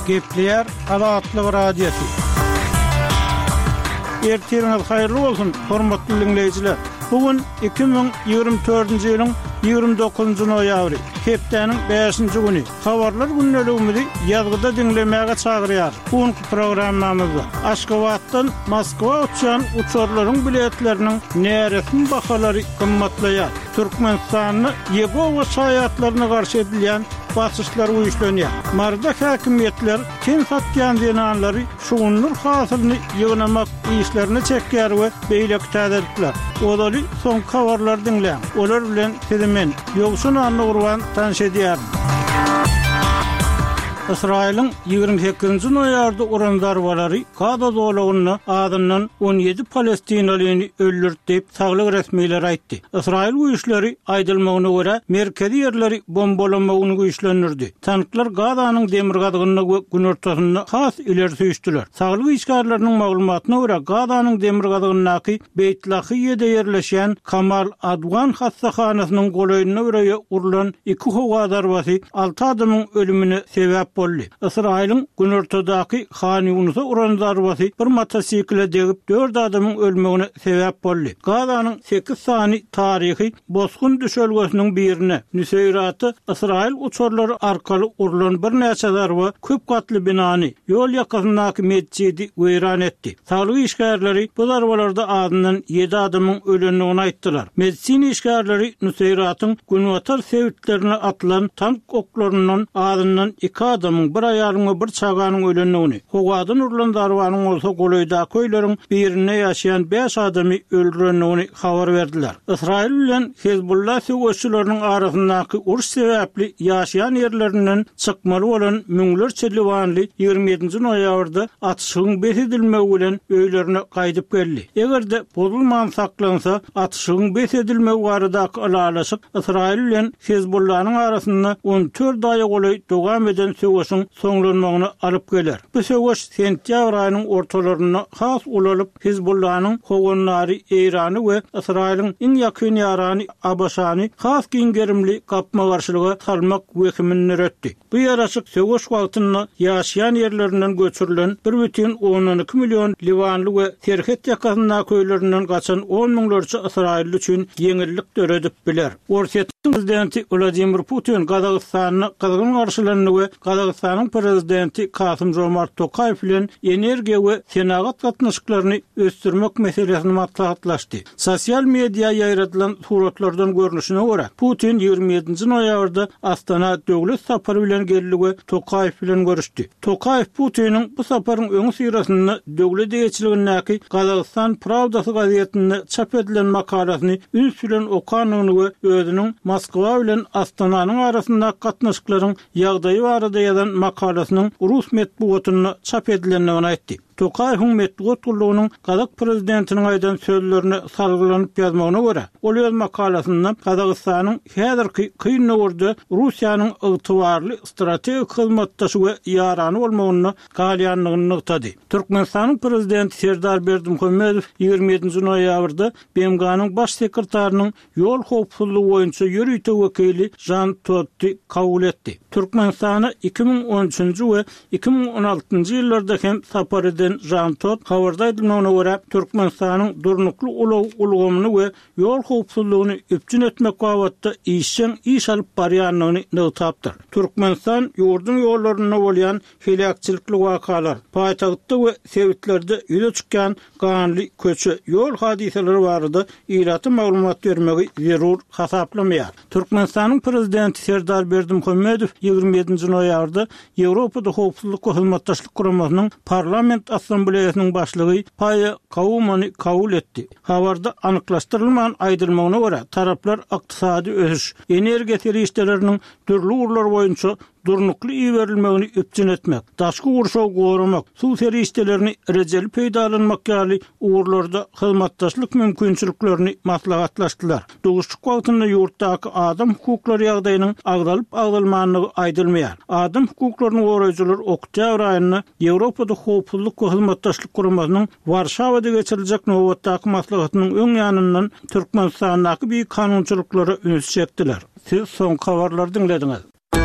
Gepleýär Azatlyk Radiosy. Ertiriňiz haýyrly bolsun, hormatly diňleýjiler! Bu gün 2024-nji ýylyň 29-njy noýabry, hepdäniň bäşinji güni. Habarlar gündeligimizi ýazgyda diňlemäge çagyrýarys. Bu günki programmamyzda Aşgabatdan Moskwa uçýan uçarlaryň biletleriniň näresmi bahalary gymmatlaýar. Türkmenistanda Ýegowa şaýatlaryna garşy edilýän basyşlar güýçlenýär. Maryda häkimiýetler ten satýan zenanlary şugundyr hasylyny ýygnamak işlerine çekýär we beýleki täzelikler. Ozaly soňky habarlary diňläň. Olar bilen sizi men, Ýowşan Annagurban tanyş edýärin. Ysraýylyň 28-nji noýabrda uran zarbalary Gaza zolagynda azyndan 17 palestinalyny öldürdi diýip, saglyk resmileri aýtdy. Ysraýyl güýçleri, aýdylmagyna görä, merkezi ýerleri bombalamagyny güýçlendirdi. Tanklar Gazanyň demirgazygynda we günortasynda has ileri süýşdüler. Saglyk işgärleriniň maglumatyna görä, Gazanyň demirgazygyndaky Beýt Lahiýede ýerleşýän Kamal Adwan hassahanasynyň golaýynda bir öýe urlan iki howa zarbasy alty adamyň ölümine sebäp boldy. Ysraýylyň günortadaky Han Ýunusa uran zarbasy bir motosikle degip, dört adamyň ölmegine sebäp boldy. Gazanyň sekiz sany taryhy bosgun düşelgesiniň birine, Nüseýrata ysraýyl uçarlary arkaly urlan birnäçe zarba köp gatly binany, ýol ýakasyndaky metjidi weýran etdi. Saglyk işgärleri bu zarbalarda azyndan ýedi adamyň ölendigini aýtdylar. Medisina işgärleri Nüseýratyň günbatar sebitlerine atylan tank oklaryndan azyndan iki adamyň, bir aýalyň we bir çaganyň ölendigini, howadan urlan zarbanyň bolsa golaýdaky öýleriň birinde ýaşaýan bäş adamy öldürendigini habar berdiler. Ysraýyl bilen Hezbollah söweşçileriniň arasyndaky uruş sebäpli ýaşaýan ýerlerinden çykmaly bolan müňlerçe liwanly 27-nji noýabrda atyşygyň bes edilmegi bilen öýlerine gaýdyp geldi. Eger-de bozulman saklansa, atyşygyň bes edilmegi baradaky ylalaşyk Ysraýyl bilen Hezbollanyň arasynda 14 aýa golaý dowam eden söweşiň soňlanmagyna alyp geler. Bu söweş sentýabr aýynyň ortalarynda has ulalyp, Hizbullanyň howandary Eýrany we Ysraýylyň iň ýakyn ýarany ABŞ-ny has giň gerimli gapma-garşylyga salmak wehimini döretdi. Bu ýaraşyk söweş wagtynda ýaşaýan ýerlerinden göçürilen bir bütin ondan iki million liwanly we serhet ýakasyndaky öýlerinden gaçan on müňlerçe ysraýylly üçin ýeňillik döredip biler. Orsýetiň prezidenti Wladimir Putin Gazagystanda gyzgyn garşylandy we Gazagystanyň prezidenti Kasym-Žomart Tokaýew bilen energiýa we senagat gatnaşyklaryny ösdürmek meselesini maslahatlaşdy. Sosial mediýa ýaýradylan suratlardan görnüşine görä, Putin 27-nji noýabrda Astana döwlet sapary bilen geldi we Tokaýew bilen görüşdi. Tokaýew Putiniň bu saparyň öňüsyrasynda döwlet eýeçiligindäki Gazagystan Prawdasy gazetinde çap edilen makalasyny üns bilen okandygyny we özüniň Moskwa bilen Astananyň arasyndaky gatnaşyklaryň ýagdaýy barada ýazan makalasynyň rus metbugatynda çap edilendigini aýtdy. Tokaýewiň metbugat gullugynyň gazak prezidentiniň aýdan sözlerine salgylanyp ýazmagyna görä, ol öz makalasynda Gazagystanyň häzirki kyn döwürde Russiýanyň ygtybarly strategik hyzmatdaşy we ýarany bolmagynda galýandygyny nygtady. Türkmenistanyň Prezidenti Serdar Berdimuhamedow 27-nji noýabrda BMG-niň Baş sekretarynyň Ýol howpsuzlygy boýunça ýörite wekili Žan Todti kabul etdi. Türkmenistana 2013-nji we 2016-njy ýyllarda hem sapar eden Žan Todt, habarda aýdylmagyna görä, Türkmenistanyň durnukly ulag ulgamyny we ýol howpsuzlygyny üpjün etmek babatda işjeň iş alyp barýandygyny nygtapdyr. Türkmenistan ýurduň ýollarynda bolýan heläkçilikli wakalar, paýtagtda we sebitlerde ýüze çykýan ganly köçe, ýol hadysalary barada ilata maglumat bermegi zerur hasaplamaýar. Türkmenistanyň Prezidenti Serdar Berdimuhamedow 27-nji noýabrda Ýewropada Howpsuzlyk we Hyzmatdaşlyk Guramasynyň Parlament Assambleýasynyň başlygy Paýa Kaumany kabul etdi. Habarda anyklaşdyrylman aýdylmagyna görä, taraplar ykdysady ösüş, energiýa serişdeleriniň dürli ugurlar boýunça durnukly iberilmegini üpjün etmek, daşky gurşawy goramak, suw serişdelerini rejeli peýdalanmak ýaly ugurlarda hyzmatdaşlyk mümkinçiliklerini maslahatlaşdylar. Duşuşyk wagtynda ýurtdaky adam hukuklary ýagdaýynyň agzalyp-agzalmandygy aýdylmaýar. Adam hukuklaryny goraýjylar oktýabr aýynda Ýewropada Howpsuzlyk we Hyzmatdaşlyk Guramasynyň Warşawada geçiriljek nobatdaky maslahatynyň öň ýanyndan Türkmenistandaky bikanunçylyklara ünsi çekdiler. Siz soňky habarlary diňlediňiz.